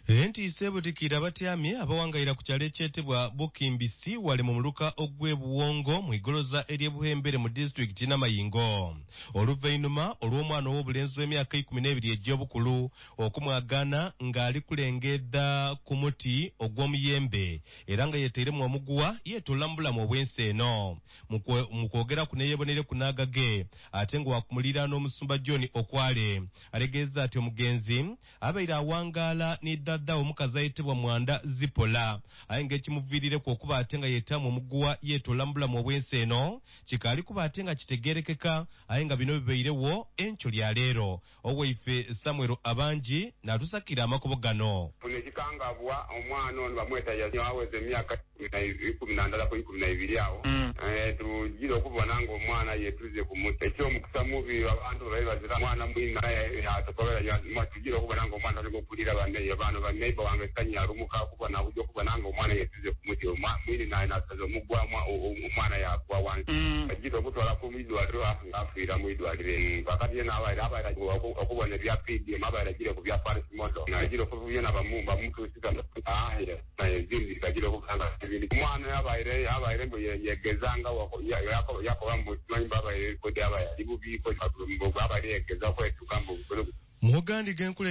Entiisa ebutikiire abatyamye abawangaira ku kyalo ekyetebwa Bukimbisi wale mu muluka ogw'e Buwongo mu igoloza ery'e Buhembere mu disitulikiti Namayingo. Oluvainhuma olw'omwana ow'obulenzi ow'emyaka 12 egy'obukulu okumwagaana nga ali kulengeedha ku muti ogw'omuyembe era nga yeteiremu omuguwa yeetoola mu bulamu obw'ensi eno. Mu kwogeraku neyeboneireku n'agage ate nga wakumuliraana omusumba John Okwale alegeeza ati omugenzi abaire awangaala ni dada omukazi ayetebwa Mwanda Zipola aye nga ekimuviirireku okuba ate nga yeetaamu omuguwa yeetoola mu bulamu obw'ensi eno kikaali kuba ate nga kitegeerekeka aye nga bino bibairewo enkyo lya leero. Owaife Samuel Abangi n'atusakira amakubo gano. Funa ekikangabwa, omwana ono bamweta Yazini aweza emyaka 11 ku 12 awo. Tujira okubona nga omwana yetuze ku muti. Eky'omukisa mubi abantu babaire bazira mwana mwina yatokobera tujira okubona nga omwana atandika okulira bano ba neighbor wange sanyi alumuka okubona kuja okubona nga omwana yetuze ku muti mwini naye nasaza omugwa omwana yagwa wansi. Ajira okutwala ku mwidwaliro afiira mwidwaliro. Kakati yena abaire okubona ebya PDM abaire ajire ku bya Paris model. Ajira okubona bamutuusiza ezindi kajira okubanga ebindi. Omwana abaire mbu yegezanga yakoba mbu simanyi abaire kodi abaire ali bubi abaire yegeza okwetuka mbu Mugandi genkule.